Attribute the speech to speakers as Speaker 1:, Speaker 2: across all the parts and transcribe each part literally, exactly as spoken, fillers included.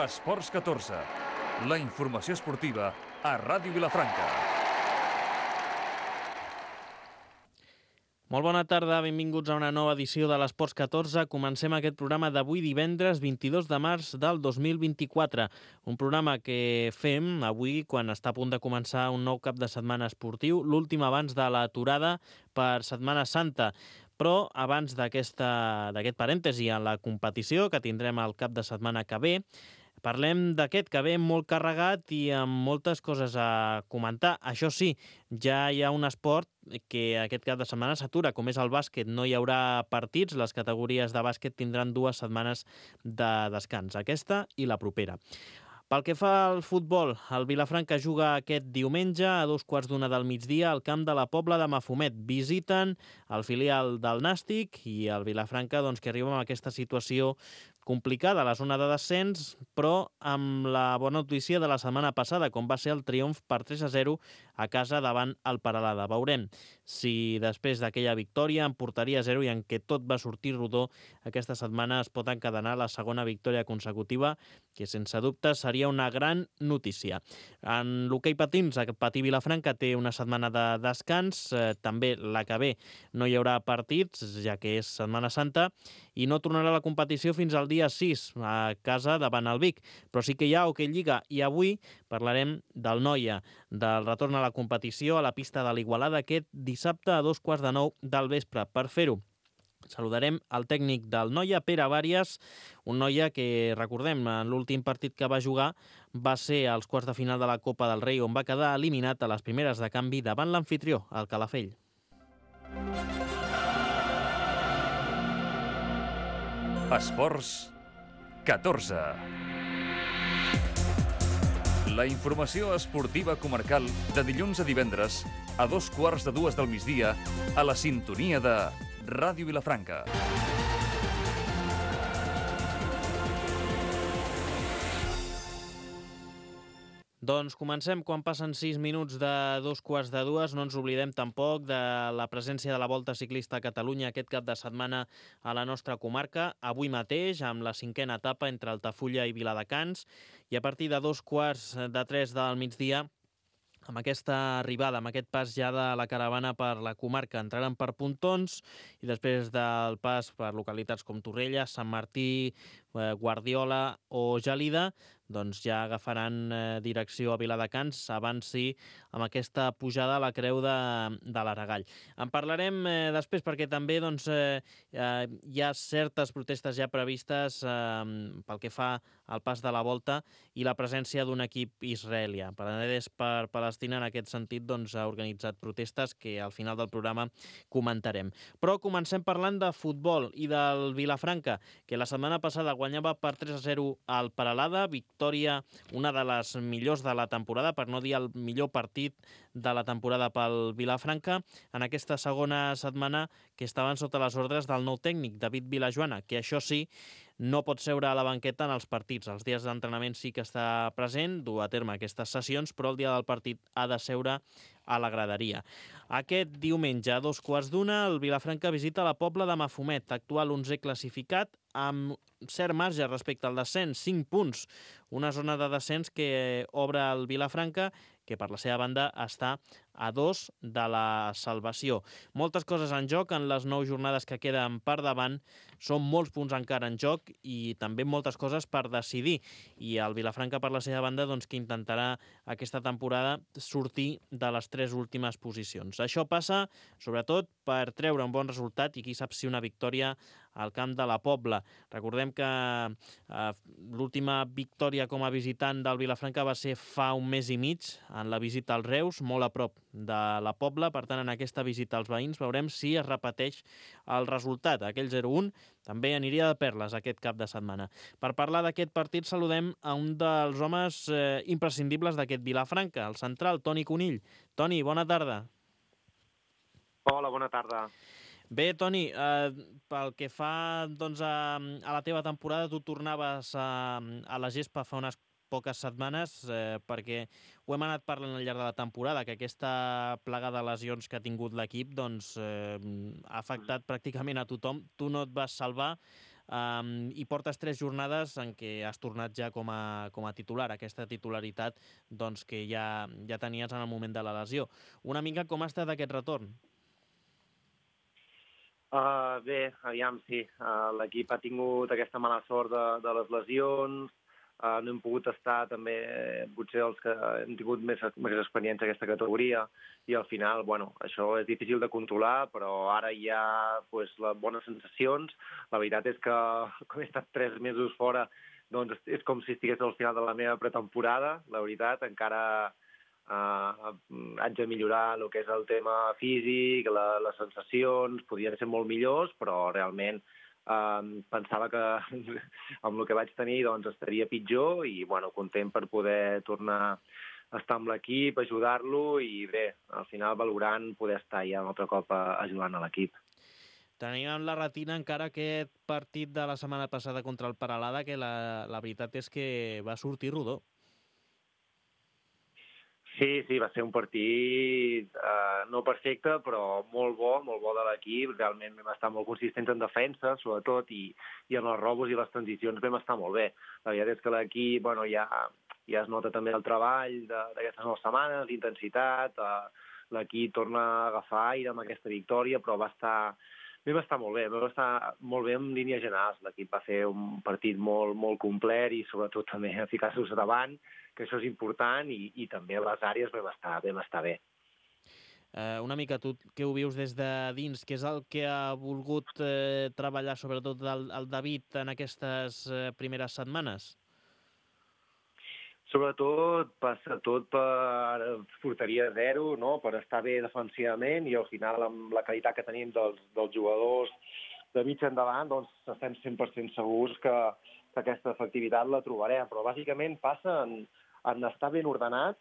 Speaker 1: Esports catorze, la informació esportiva a Ràdio Vilafranca.
Speaker 2: Molt bona tarda, benvinguts a una nova edició de l'Esports catorze. Comencem aquest programa d'avui divendres vint-i-dos de març del dos mil vint-i-quatre. Un programa que fem avui quan està a punt de començar un nou cap de setmana esportiu, l'últim abans de l'aturada per Setmana Santa. Però abans d'aquest parèntesi en la competició que tindrem el cap de setmana que ve, parlem d'aquest que ve molt carregat i amb moltes coses a comentar. Això sí, ja hi ha un esport que aquest cap de setmana s'atura, com és el bàsquet. No hi haurà partits, les categories de bàsquet tindran dues setmanes de descans, aquesta i la propera. Pel que fa al futbol, el Vilafranca juga aquest diumenge a dos quarts d'una del migdia al camp de la Pobla de Mafumet. Visiten el filial del Nàstic i el Vilafranca, doncs, que arriba amb aquesta situació complicada a la zona de descens, però amb la bona notícia de la setmana passada, com va ser el triomf per tres a zero a casa davant el Peralada. Veurem si després d'aquella victòria en porteria zero i en què tot va sortir rodó, aquesta setmana es pot encadenar la segona victòria consecutiva, que sense dubte seria una gran notícia. En l'hoquei patins, el Patí Vilafranca té una setmana de descans, eh, també la que ve no hi haurà partits, ja que és Setmana Santa, i no tornarà a la competició fins al dia sis a casa davant el Vic. Però sí que hi ha hoquei Lliga i avui parlarem del Noia, del retorn a la competició a la pista de l'Igualada aquest dissabte a dos quarts de nou del vespre. Per fer-ho, saludarem el tècnic del Noia, Pere Vàries, un Noia que, recordem, en l'últim partit que va jugar va ser als quarts de final de la Copa del Rei, on va quedar eliminat a les primeres de canvi davant l'amfitrió, el Calafell.
Speaker 1: Esports catorze. La informació esportiva comarcal de dilluns a divendres a dos quarts de dues del migdia a la sintonia de Ràdio Vilafranca.
Speaker 2: Doncs comencem quan passen sis minuts de dos quarts de dues. No ens oblidem tampoc de la presència de la Volta Ciclista a Catalunya aquest cap de setmana a la nostra comarca. Avui mateix, amb la cinquena etapa entre Altafulla i Viladecans. I a partir de dos quarts de tres del migdia, amb aquesta arribada, amb aquest pas ja de la caravana per la comarca, entraran per Pontons i després del pas per localitats com Torrella, Sant Martí, Guardiola o Gelida, doncs ja agafaran eh, direcció a Viladecans, abans sí, amb aquesta pujada a la creu de, de l'Aragall. En parlarem eh, després perquè també doncs, eh, eh, hi ha certes protestes ja previstes eh, pel que fa al pas de la Volta i la presència d'un equip israelià. Paranedès per Palestina en aquest sentit doncs, ha organitzat protestes que al final del programa comentarem. Però comencem parlant de futbol i del Vilafranca, que la setmana passada guanyava per tres a zero al Peralada, victòria, una de les millors de la temporada, per no dir el millor partit de la temporada pel Vilafranca, en aquesta segona setmana que estaven sota les ordres del nou tècnic, David Vilajoana, que això sí, no pot seure a la banqueta en els partits. Els dies d'entrenament sí que està present, dur a terme aquestes sessions, però el dia del partit ha de seure a la graderia. Aquest diumenge, a dos quarts d'una, el Vilafranca visita la Pobla de Mafumet, actual onzè classificat, amb cert marge respecte al descens, cinc punts. Una zona de descens que obre el Vilafranca, que per la seva banda està a dos de la salvació. Moltes coses en joc en les nou jornades que queden per davant. Són molts punts encara en joc i també moltes coses per decidir. I el Vilafranca, per la seva banda, doncs, que intentarà aquesta temporada sortir de les tres últimes posicions. Això passa, sobretot, per treure un bon resultat i qui sap si una victòria al camp de la Pobla. Recordem que eh, l'última victòria com a visitant del Vilafranca va ser fa un mes i mig, en la visita als Reus, molt a prop de la Pobla. Per tant, en aquesta visita als veïns veurem si es repeteix el resultat. Aquell zero un també aniria de perles aquest cap de setmana. Per parlar d'aquest partit saludem a un dels homes eh, imprescindibles d'aquest Vilafranca, el central, Toni Conill. Toni, bona tarda.
Speaker 3: Hola, bona tarda.
Speaker 2: Bé, Toni, eh, pel que fa doncs, a, a la teva temporada, tu tornaves a, a la gespa fa unes poques setmanes, eh, perquè ho hem anat parlant al llarg de la temporada, que aquesta plaga de lesions que ha tingut l'equip doncs, eh, ha afectat pràcticament a tothom. Tu no et vas salvar. um, i portes tres jornades en què has tornat ja com a, com a titular, aquesta titularitat doncs, que ja, ja tenies en el moment de la lesió. Una mica com ha estat aquest retorn?
Speaker 3: Uh, bé, aviam, sí. Uh, L'equip ha tingut aquesta mala sort de, de les lesions, uh, no hem pogut estar també, eh, potser els que hem tingut més, més experiència en aquesta categoria, i al final, bueno, això és difícil de controlar, però ara hi ha pues, les bones sensacions. La veritat és que, com he estat tres mesos fora, doncs és com si estigués al final de la meva pretemporada, la veritat, encara Uh, haig de millorar el que és el tema físic, la, les sensacions, podrien ser molt millors, però realment uh, pensava que amb el que vaig tenir doncs, estaria pitjor i bueno, content per poder tornar a estar amb l'equip, ajudar-lo i bé, al final valorant poder estar ja un altre cop ajudant a l'equip.
Speaker 2: Tenim en la retina encara aquest partit de la setmana passada contra el Peralada, que la, la veritat és que va sortir rodó.
Speaker 3: Sí, sí, va ser un partit eh, no perfecte, però molt bo, molt bo de l'equip. Realment vam estar molt consistents en defensa, sobretot, i, i en els robos i les transicions vam estar molt bé. La veritat és que l'equip, bueno, ja, ja es nota també el treball d'aquestes noves setmanes, l'intensitat, eh, l'equip torna a agafar aire amb aquesta victòria, però va estar, vam estar molt bé, vam estar molt bé en línies generals. L'equip va fer un partit molt, molt complet i sobretot també ficar-se davant, que això és important, i, i també a les àrees vam estar, vam estar bé.
Speaker 2: Eh, una mica tu que ho vius des de dins, què és el que ha volgut eh, treballar sobretot el, el David en aquestes eh, primeres setmanes?
Speaker 3: Sobretot passa tot per porteria zero, no? Per estar bé defensivament, i al final amb la qualitat que tenim dels, dels jugadors de mig endavant, doncs estem cent per cent segurs que, que aquesta efectivitat la trobarem. Però bàsicament passa en, en estar ben ordenats,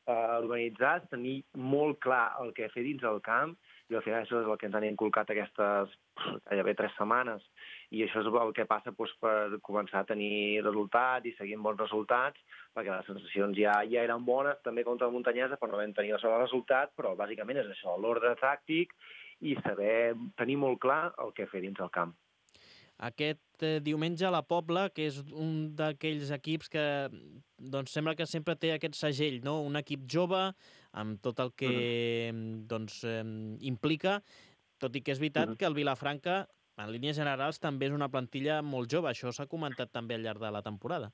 Speaker 3: eh, organitzats, tenir molt clar el que fer dins el camp, i al final això és el que ens han inculcat aquestes gairebé tres setmanes, i això és el que passa doncs, per començar a tenir resultats i seguir bons resultats, perquè les sensacions ja, ja eren bones, també contra la Muntanyesa, però no vam tenir el sol resultat, però bàsicament és això, l'ordre tàctic i saber tenir molt clar el que fer dins el camp.
Speaker 2: Aquest eh, diumenge a la Pobla, que és un d'aquells equips que doncs, sembla que sempre té aquest segell, no? Un equip jove, amb tot el que mm. doncs, eh, implica, tot i que és veritat mm. que el Vilafranca, en línies generals, també és una plantilla molt jove. Això s'ha comentat també al llarg de la temporada.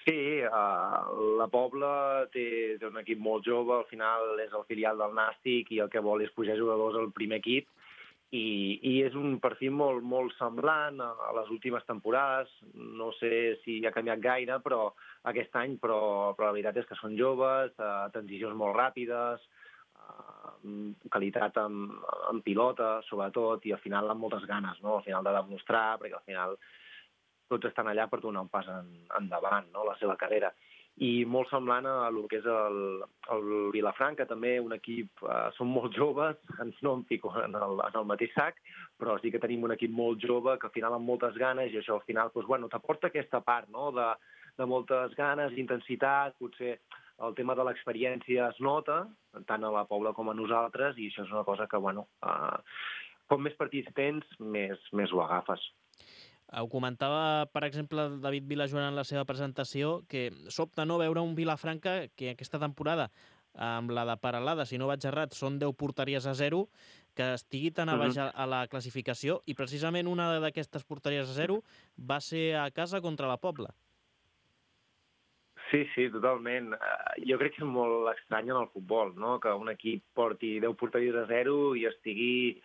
Speaker 3: Sí, uh, la Pobla té, té un equip molt jove, al final és el filial del Nàstic i el que vol és pujar jugadors al primer equip, i, i és un perfil molt, molt semblant a, a les últimes temporades. No sé si ha canviat gaire però aquest any, però, però la veritat és que són joves, uh, transicions molt ràpides, uh, qualitat en, en pilota, sobretot, i al final amb moltes ganes, no? Al final de demostrar, perquè al final tots estan allà per donar un pas en, endavant, no? La seva carrera. I molt semblant a el que és el, el Vilafranca, també un equip, eh, són molt joves, no em fico en el, en el mateix sac, però sí que tenim un equip molt jove que al final amb moltes ganes, i això al final doncs, bueno, t'aporta aquesta part, no? de, de moltes ganes, intensitat, potser el tema de l'experiència es nota, tant a la Pobla com a nosaltres, i això és una cosa que, bueno, eh, com més partits tens, més, més ho agafes.
Speaker 2: Ho comentava, per exemple, David Vilajoan en la seva presentació, que sobta no veure un Vilafranca que aquesta temporada, amb la de Peralada, si no vaig errat, són deu porteries a zero, que estigui tan a baix a, a la classificació, i precisament una d'aquestes porteries a zero va ser a casa contra la Pobla.
Speaker 3: Sí, sí, totalment. Jo crec que és molt estrany en el futbol, no? Que un equip porti deu porteries a zero i estigui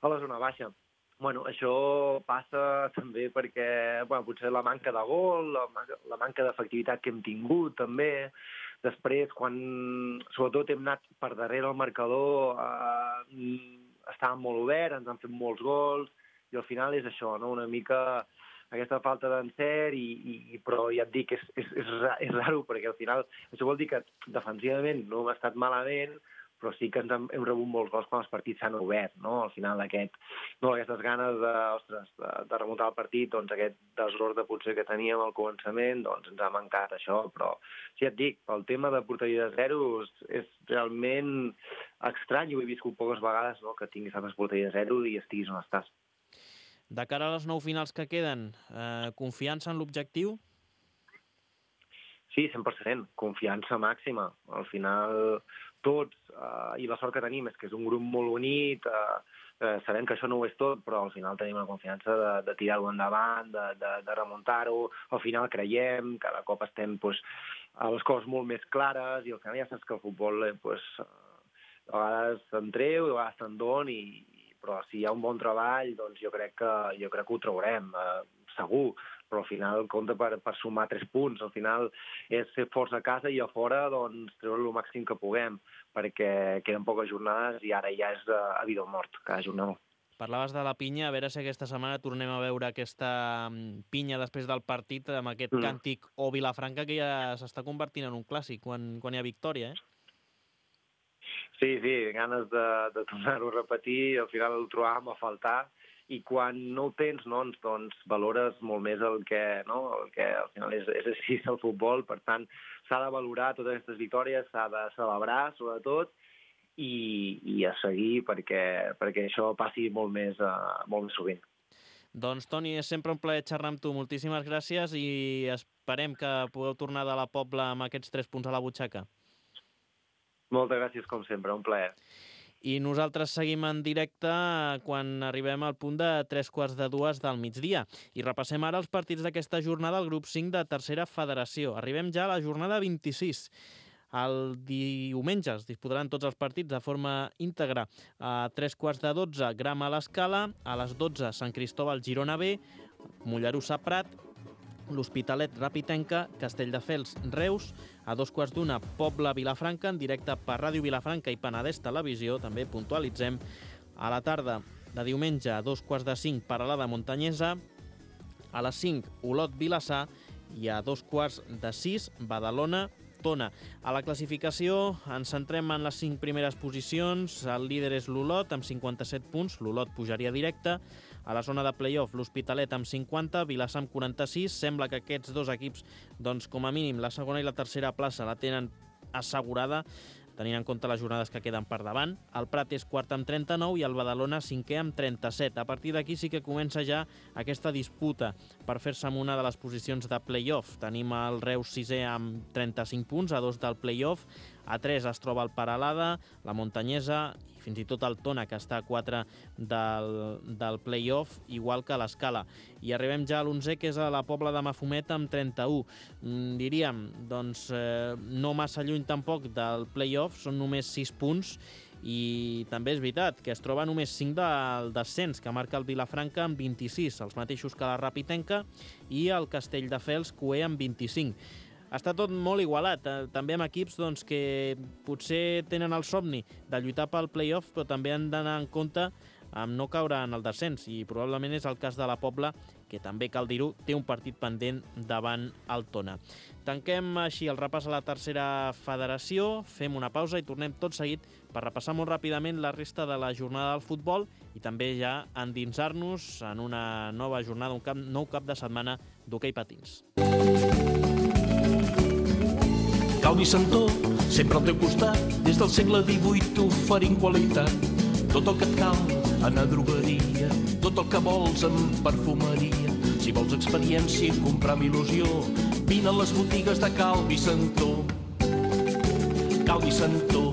Speaker 3: a la zona baixa. Bueno, això passa també perquè bueno, potser la manca de gol, la, la manca d'efectivitat que hem tingut també. Després, quan sobretot hem anat per darrere el marcador, eh, estàvem molt oberts, ens han fet molts gols, i al final és això, no? Una mica aquesta falta d'encert, i, i, però ja et dic, és, és, és, és raro, perquè al final això vol dir que defensivament no hem estat malament, però sí que ens hem, hem rebut molts gols quan els partits s'han obert, no? Al final aquest, no, aquestes ganes de, ostres, de, de remuntar el partit, doncs aquest desordre potser que teníem al començament, doncs ens ha mancat això, però sí, et dic, el tema de porteria de zero és, és realment estrany, ho he viscut poques vegades, no? Que tinguis tantes porteries de zero i estiguis on estàs.
Speaker 2: De cara a les nou finals que queden, eh, confiança en l'objectiu?
Speaker 3: Sí, cent per cent, confiança màxima. Al final, tots, eh, i la sort que tenim és que és un grup molt unit, eh, eh, sabem que això no ho és tot, però al final tenim la confiança de, de tirar-ho endavant, de, de, de remuntar-ho, al final creiem, cada cop estem pues, a les coses molt més clares, i al final ja saps que el futbol eh, pues, a vegades se'n treu, a vegades se'n dona, i, però si hi ha un bon treball, doncs jo crec que, jo crec que ho traurem, eh, segur, però al final compta per, per sumar tres punts. Al final és fer força a casa i a fora doncs, treure el màxim que puguem, perquè queden poques jornades i ara ja és a vida o mort, cada jornada.
Speaker 2: Parlaves de la pinya, a veure si aquesta setmana tornem a veure aquesta pinya després del partit amb aquest mm. càntic o Vilafranca que ja s'està convertint en un clàssic quan, quan hi ha victòria, eh?
Speaker 3: Sí, sí, ganes de, de tornar-ho a repetir, al final el trobàvem a faltar, i quan no ho tens, no, doncs valores molt més el que, no, el que al final és, és així el futbol. Per tant, s'ha de valorar totes aquestes victòries, s'ha de celebrar, sobretot, i, i a seguir perquè, perquè això passi molt més, uh, molt més sovint.
Speaker 2: Doncs, Toni, és sempre un plaer xerrar amb tu. Moltíssimes gràcies i esperem que pugueu tornar de la Pobla amb aquests tres punts a la butxaca.
Speaker 3: Moltes gràcies, com sempre, un plaer.
Speaker 2: I nosaltres seguim en directe quan arribem al punt de tres quarts de dues del migdia. I repassem ara els partits d'aquesta jornada al grup cinc de Tercera Federació. Arribem ja a la jornada vint-i-sis. El diumenge es disputaran tots els partits de forma íntegra. A tres quarts de dotze, Grama a l'Escala. A les dotze, Sant Cristóbal Girona B, Mollerussa Prat, l'Hospitalet Rapitenca, Castelldefels Reus. A dos quarts d'una, Pobla Vilafranca, en directe per Ràdio Vilafranca i Penedès Televisió, també puntualitzem. A la tarda de diumenge, a dos quarts de cinc, Peralada Montanyesa. A les cinc, Olot Vilassar. I a dos quarts de sis, Badalona Tona. A la classificació ens centrem en les cinc primeres posicions. El líder és l'Olot, amb cinquanta-set punts. L'Olot pujaria directe. A la zona de play-off, l'Hospitalet amb cinquanta, Vilassar amb quaranta-sis. Sembla que aquests dos equips, doncs, com a mínim, la segona i la tercera plaça la tenen assegurada, tenint en compte les jornades que queden per davant. El Prat és quart amb trenta-nou i el Badalona cinquè amb trenta-set. A partir d'aquí sí que comença ja aquesta disputa per fer-se amb una de les posicions de play-off. Tenim el Reus sisè amb trenta-cinc punts, a dos del play-off. A tres es troba el Peralada, la Montanyesa i fins i tot el Tona, que està a quatre del, del play-off, igual que l'Escala. I arribem ja a l'onzè, que és a la Pobla de Mafumet, amb trenta-u. Mm, diríem, doncs, eh, no massa lluny tampoc del play-off, són només sis punts, i també és veritat que es troba només cinc del descens, que marca el Vilafranca amb vint-i-sis, els mateixos que la Rapitenca, i el Castelldefels Cué amb vint-i-cinc. Està tot molt igualat, també amb equips doncs, que potser tenen el somni de lluitar pel play-off, però també han d'anar en compte amb no caure en el descens, i probablement és el cas de la Pobla, que també, cal dir-ho, té un partit pendent davant el Tona. Tanquem així el repàs a la Tercera Federació, fem una pausa i tornem tot seguit per repassar molt ràpidament la resta de la jornada del futbol i també ja endinsar-nos en una nova jornada, un cap, nou cap de setmana d'hoquei patins.
Speaker 4: Calvi Santó, sempre al teu costat, des del segle divuit t'oferint qualitat. Tot el que et cal en a drogueria, tot el que vols en perfumeria. Si vols experiència i comprar amb il·lusió, vine a les botigues de Calvi Santó. Calvi Santó.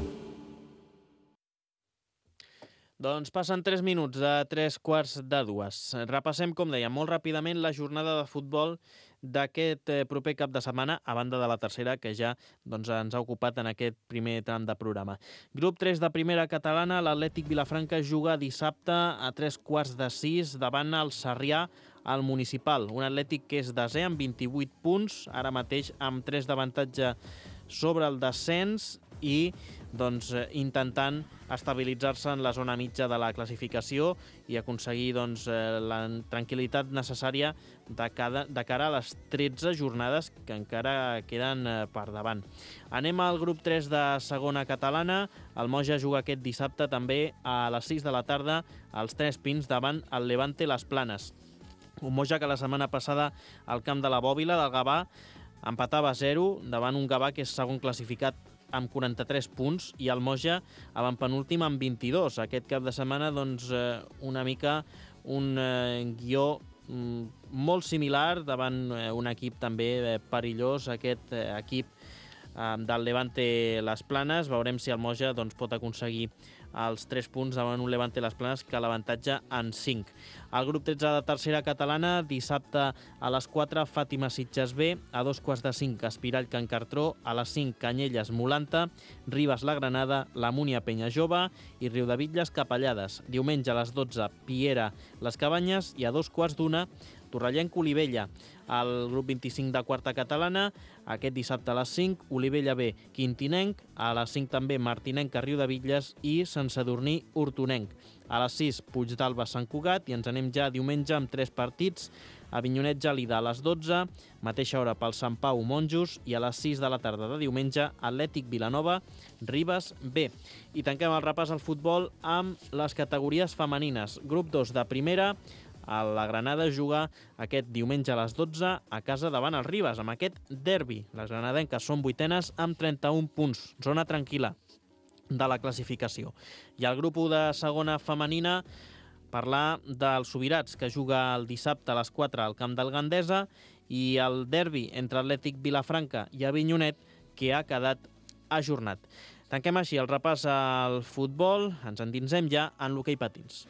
Speaker 2: Doncs passen tres minuts de tres quarts de dues. Repassem, com deia, molt ràpidament la jornada de futbol d'aquest proper cap de setmana, a banda de la tercera, que ja doncs, ens ha ocupat en aquest primer tram de programa. Grup tres de primera catalana, l'Atlètic Vilafranca juga dissabte a tres quarts de sis davant el Sarrià al Municipal. Un Atlètic que és desè amb vint-i-vuit punts, ara mateix amb tres d'avantatge sobre el descens i doncs, intentant estabilitzar-se en la zona mitja de la classificació i aconseguir doncs, la tranquil·litat necessària de, cada, de cara a les tretze jornades que encara queden per davant. Anem al grup tres de segona catalana. El Moja juga aquest dissabte també a les sis de la tarda als Tres Pins davant el Levante Les Planes. Un Moja que la setmana passada al camp de la Bòbila del Gavà empatava a zero davant un Gavà que és segon classificat amb quaranta-tres punts i el Moja avantpenúltim amb vint-i-dos. Aquest cap de setmana doncs, una mica un eh, guió mm, molt similar davant eh, un equip també eh, perillós, aquest eh, equip eh, del Levante Les Planes. Veurem si el Moja doncs, pot aconseguir els tres punts davant un Levante Les Planes que l'avantatge en cinc. Al grup tretze de tercera catalana, dissabte a les quatre, Fàtima Sitges B, a dos quarts de cinc, Espirall Can Cartró, a les cinc, Canyelles Molanta, Ribes La Granada, la Múnia Penya Jove i Riudebitlles Capellades. Diumenge a les dotze, Piera Les Cabanyes i a dos quarts d'una, Torrellenc Olivella. Al grup vint-i-cinc de quarta catalana, aquest dissabte a les cinc, Olivella B, Quintinenc, a les cinc també Martinenc, Riudebitlles i Sant Sadurní Hortonenc. A les sis, Puigdàlber Sant Cugat i ens anem ja diumenge amb tres partits. Avinyonet Gelida a les dotze, mateixa hora pel Sant Pau Monjos i a les sis de la tarda de diumenge Atlètic Vilanova, Ribes B. I tanquem el repàs al futbol amb les categories femenines. Grup dos de primera, la Granada juga aquest diumenge a les dotze a casa davant els Ribes, amb aquest derbi. Les granadenques són vuitenes amb trenta-un punts, zona tranquil·la de la classificació. I el grup u de segona femenina, parlar dels Subirats, que juga el dissabte a les quatre al Camp del Gandesa, i el derbi entre Atlètic Vilafranca i Avinyonet, que ha quedat ajornat. Tanquem així el repàs al futbol, ens endinsem ja en l'hoquei patins.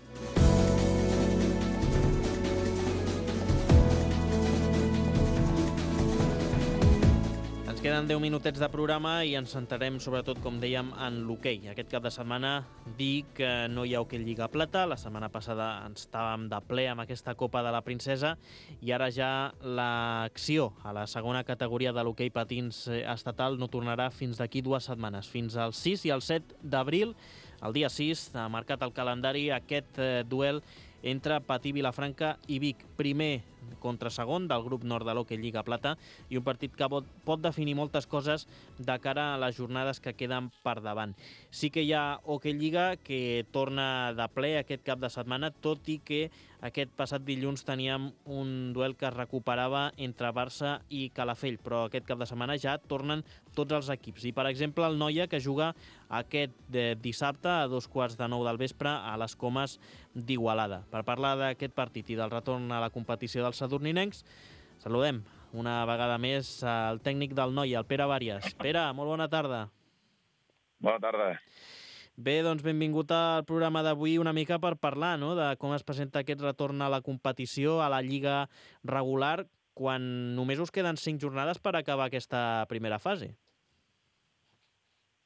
Speaker 2: Queden deu minutets de programa i ens centrarem sobretot, com dèiem, en l'hoquei. Aquest cap de setmana dir que no hi ha hoquei Lliga Plata. La setmana passada ens estàvem de ple amb aquesta Copa de la Princesa i ara ja l'acció a la segona categoria de l'hoquei patins estatal no tornarà fins d'aquí dues setmanes, fins al sis i al set d'abril. El dia sis ha marcat el calendari aquest eh, duel entre Patí Vilafranca i Vic. Primer contra segon del grup nord de l'hoquei Lliga Plata i un partit que pot, pot definir moltes coses de cara a les jornades que queden per davant. Sí que hi ha hoquei Lliga que torna de ple aquest cap de setmana, tot i que aquest passat dilluns teníem un duel que es recuperava entre Barça i Calafell, però aquest cap de setmana ja tornen tots els equips. I, per exemple, el Noia, que juga aquest dissabte a dos quarts de nou del vespre a les Comes d'Igualada. Per parlar d'aquest partit i del retorn a la competició dels sadurninencs, saludem una vegada més al tècnic del Noia, el Pere Vàries. Pere, molt bona tarda.
Speaker 5: Bona tarda.
Speaker 2: Bé, doncs benvingut al programa d'avui una mica per parlar, no?, de com es presenta aquest retorn a la competició, a la Lliga regular, quan només us queden cinc jornades per acabar aquesta primera fase.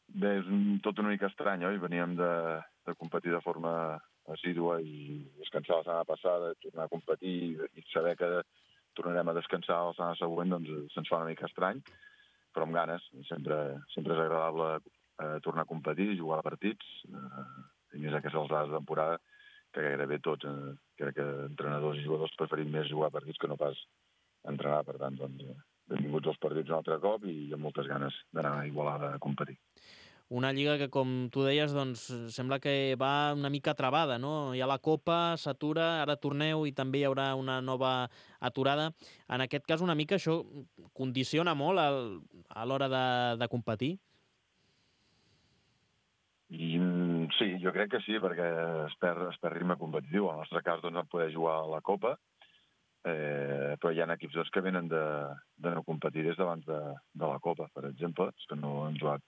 Speaker 5: Bé, és un, tot una mica estrany, oi? Veníem de, de competir de forma assídua i descansar la setmana passada, tornar a competir i saber que tornarem a descansar la setmana següent, doncs se'ns fa una mica estrany, però amb ganes. Sempre, sempre és agradable eh, tornar a competir, jugar a partits, eh, i més aquestes altres de temporada, que gairebé tots, eh, crec que entrenadors i jugadors preferim més jugar a partits que no pas entrenar. Per tant, doncs, benvinguts als partits un altre cop i amb moltes ganes d'anar a Igualada a competir.
Speaker 2: Una lliga que, com tu deies, doncs, sembla que va una mica travada, no? Hi ha la Copa, s'atura, ara torneu i també hi haurà una nova aturada. En aquest cas, una mica això condiciona molt el, a l'hora de, de competir?
Speaker 5: I, sí, jo crec que sí, perquè es perd, es perd ritme competitiu. En el nostre cas, doncs, vam poder jugar a la Copa, eh, però hi ha equips doncs, que venen de, de no competir des d'abans de, de la Copa, per exemple, que no han jugat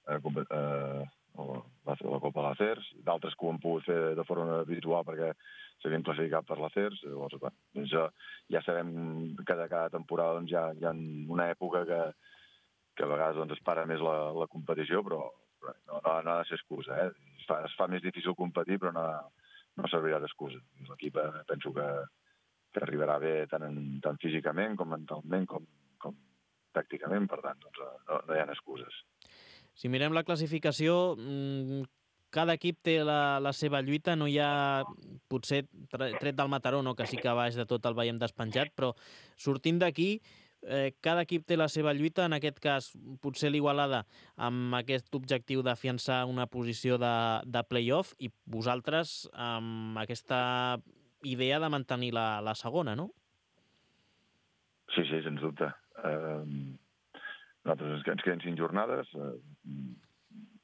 Speaker 5: Eh, eh, la, la Copa a l'Acers, d'altres que ho han pogut fer de forma virtual perquè s'havien classificat per l'Acers. Llavors, doncs, ja sabem que de cada temporada doncs, hi, ha, hi ha una època que, que a vegades doncs, es para més la, la competició, però, però no, no, no ha de ser excusa. Eh? Es, fa, es fa més difícil competir, però no, no servirà d'excusa. L'equip eh, penso que, que arribarà bé tant, en, tant físicament com mentalment com, com tàcticament, per tant, doncs, no, no hi ha excuses.
Speaker 2: Si mirem la classificació, cada equip té la, la seva lluita, no hi ha, potser tret del Mataró, no, que sí que a baix de tot el veiem despenjat, però sortint d'aquí, eh, cada equip té la seva lluita, en aquest cas potser l'Igualada amb aquest objectiu d'afiançar una posició de, de play-off i vosaltres amb aquesta idea de mantenir la, la segona, no?
Speaker 5: Sí, sí, sens dubte. Eh... Nosaltres ens queden cinc jornades, eh,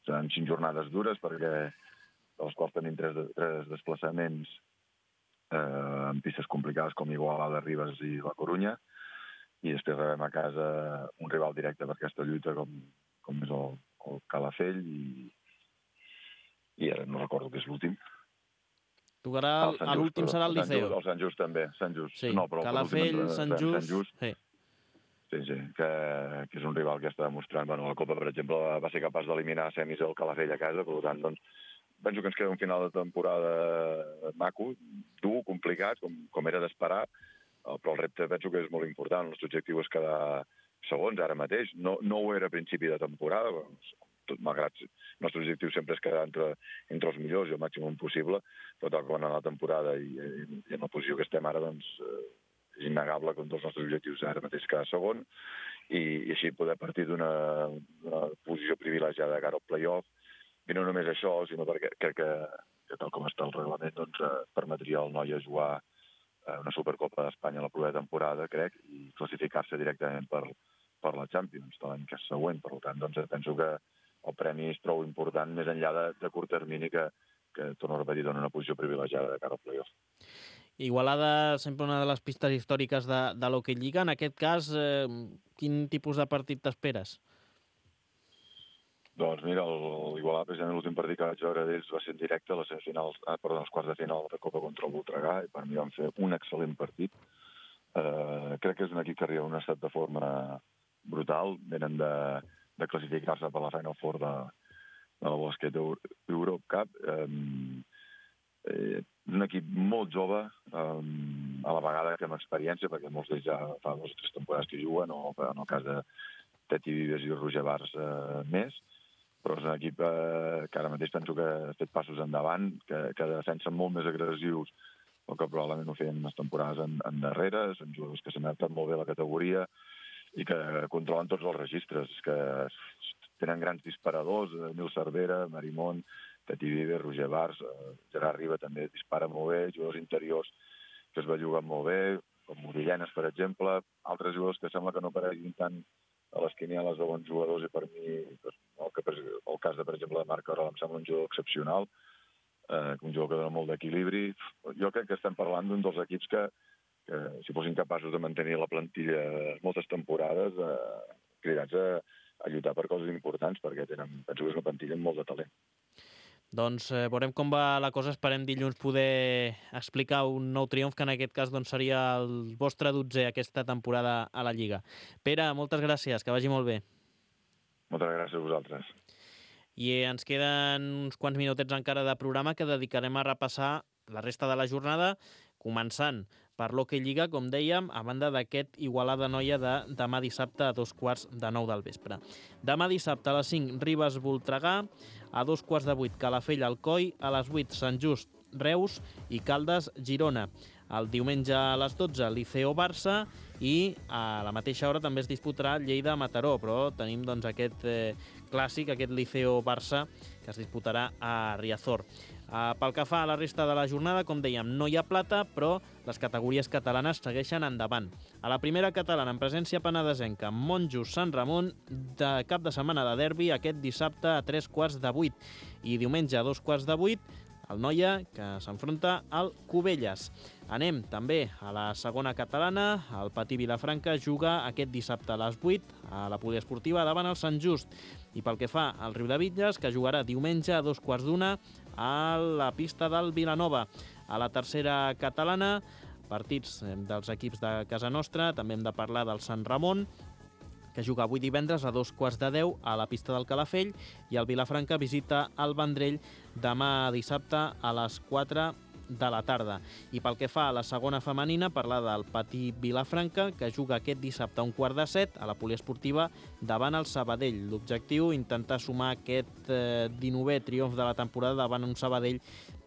Speaker 5: seran cinc jornades dures perquè de les quals tenim tres, tres desplaçaments eh, en pistes complicades com Igualada, Ribes i la Corunya, i després rebem a casa un rival directe per aquesta lluita com, com és el, el Calafell, i, i ara no recordo què és l'últim.
Speaker 2: Tocarà, a l'últim serà el Liceo.
Speaker 5: El Sant Just també, Sant Just.
Speaker 2: Sí,
Speaker 5: no, però
Speaker 2: Calafell, Sant Just...
Speaker 5: Sant Just.
Speaker 2: Sí.
Speaker 5: Sí, sí, que, que és un rival que està demostrant. Bueno, la Copa, per exemple, va ser capaç d'eliminar a semis el Calafell a casa, per tant, doncs, penso que ens queda un final de temporada maco, dur, complicat, com, com era d'esperar, però el repte penso que és molt important. El nostre objectiu és quedar segons ara mateix. No, no ho era a principi de temporada, tot malgrat el nostre objectiu sempre és quedar entre, entre els millors i el màxim possible, però tal com va anar la temporada i, i, i en la posició que estem ara, doncs, eh, és innegable que un dels nostres objectius ara mateix és quedar segon i, i així poder partir d'una posició privilegiada de cara al play-off. I no només això, sinó perquè crec que, que tal com està el reglament, doncs, eh, permetria al Noia jugar una Supercopa d'Espanya a la propera temporada, crec, i classificar-se directament per, per la Champions de l'any que és següent. Per tant, doncs, penso que el premi és prou important, més enllà de, de curt termini, que, que torno a repetir, dona una posició privilegiada de cara al play-off.
Speaker 2: Igualada, sempre una de les pistes històriques de, de l'Hockey Lliga. En aquest cas, eh, quin tipus de partit t'esperes?
Speaker 5: Doncs mira, l'Igualada, precisament l'últim partit que vaig veure d'ells va ser en directe a les semifinals, ah, perdó, als quarts de final de Copa contra el Voltregà, i per mi van fer un excel·lent partit. Eh, crec que és un equip que arriba en un estat de forma brutal, venen de, de classificar-se per la Final Four de, de la Basket Europe Cup. Eh, eh, un equip molt jove, eh, a la vegada que amb experiència, perquè molts d'ells ja fa dues o tres temporades que juguen, o en el cas de Teti Vives i Roger Bars eh, més, però és un equip eh, que ara mateix penso que ha fet passos endavant, que, que defensen molt més agressius el que probablement ho feien unes temporades en, en darrere. Són jugadors que s'han adaptat molt bé a la categoria i que controlen tots els registres, que tenen grans disparadors, Nil Cervera, Marimón, Teti Vives, Roger Bars, eh, Gerard Riba també dispara molt bé, jugadors interiors que es belluguen molt bé, com Morillanes, per exemple, altres jugadors que sembla que no apareguin tant a les quinieles de bons jugadors, i per mi el, que, el cas de, per exemple, de Marc Arola em sembla un jugador excepcional, eh, un jugador que dona molt d'equilibri. Jo crec que estem parlant d'un dels equips que, que si fossin capaços de mantenir la plantilla moltes temporades, eh, cridats a, a lluitar per coses importants, perquè tenen, penso que és una plantilla amb molt de talent.
Speaker 2: Doncs eh, veurem com va la cosa. Esperem dilluns poder explicar un nou triomf, que en aquest cas doncs, seria el vostre dotzè aquesta temporada a la Lliga. Pere, moltes gràcies, que vagi molt bé.
Speaker 5: Moltes gràcies a vosaltres.
Speaker 2: I ens queden uns quants minutets encara de programa que dedicarem a repassar la resta de la jornada, començant per l'Hockey Lliga, com dèiem, a banda d'aquest Igualada Noia de demà dissabte a dos quarts de nou del vespre. Demà dissabte a les cinc, Ribes Voltregà, a dos quarts de vuit, Calafell Alcoi, a les vuit, Sant Just Reus i Caldes Girona. El diumenge a les dotze, Liceo Barça, i a la mateixa hora també es disputarà Lleida Mataró, però tenim doncs, aquest eh, clàssic, aquest Liceo Barça, que es disputarà a Riazor. Uh, pel que fa a la resta de la jornada, com dèiem, no hi ha plata, però les categories catalanes segueixen endavant. A la primera catalana, en presència penedesenca, Monjos Sant Ramon, de cap de setmana de derbi, aquest dissabte a tres quarts de vuit. I diumenge a dos quarts de vuit, el Noia, que s'enfronta al Cubelles. Anem també a la segona catalana. El Patí Vilafranca juga aquest dissabte a les vuit a la poliesportiva davant el Sant Just. I pel que fa al Riudebitlles, que jugarà diumenge a dos quarts d'una a la pista del Vilanova. A la tercera catalana, partits dels equips de casa nostra. També hem de parlar del Sant Ramon, que juga avui divendres a dos quarts de deu a la pista del Calafell, i el Vilafranca visita el Vendrell demà dissabte a les quatre de la tarda. I pel que fa a la segona femenina, parlar del Patí Vilafranca, que juga aquest dissabte a un quart de set a la poliesportiva davant el Sabadell. L'objectiu, intentar sumar aquest eh, dinovè triomf de la temporada davant un Sabadell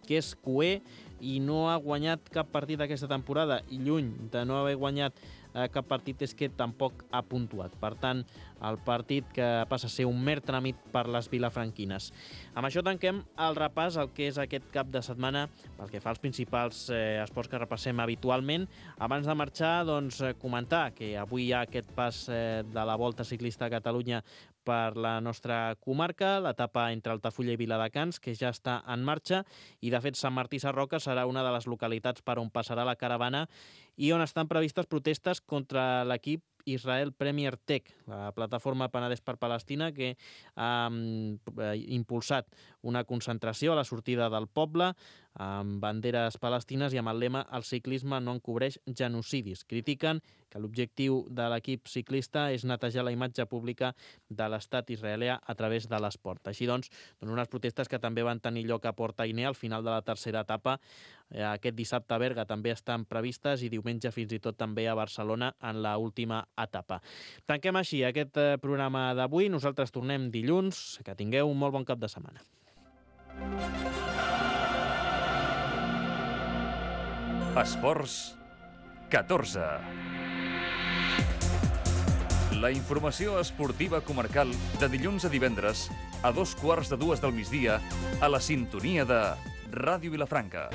Speaker 2: que és cuer i no ha guanyat cap partit aquesta temporada, i lluny de no haver guanyat eh, cap partit és que tampoc ha puntuat. Per tant, el partit que passa a ser un mer tràmit per les vilafranquines. Amb això tanquem el repàs al que és aquest cap de setmana pel que fa als principals eh, esports que repassem habitualment. Abans de marxar, doncs, comentar que avui hi ha aquest pas eh, de la Volta Ciclista a Catalunya per la nostra comarca, l'etapa entre Altafulla i Viladecans, que ja està en marxa, i de fet Sant Martí Sarroca serà una de les localitats per on passarà la caravana i on estan previstes protestes contra l'equip Israel Premier Tech, la plataforma Penedès per Palestina, que ha impulsat una concentració a la sortida del poble amb banderes palestines i amb el lema «El ciclisme no encobreix genocidis». Critiquen que l'objectiu de l'equip ciclista és netejar la imatge pública de l'estat israelià a través de l'esport. Així doncs, unes protestes que també van tenir lloc a Port Ainé al final de la tercera etapa. Aquest dissabte a Berga també estan previstes i diumenge fins i tot també a Barcelona en l'última etapa. Tanquem així aquest programa d'avui. Nosaltres tornem dilluns. Que tingueu un molt bon cap de setmana.
Speaker 1: Esports catorze. La informació esportiva comarcal de dilluns a divendres a dos quarts de dues del migdia a la sintonia de Ràdio Vilafranca.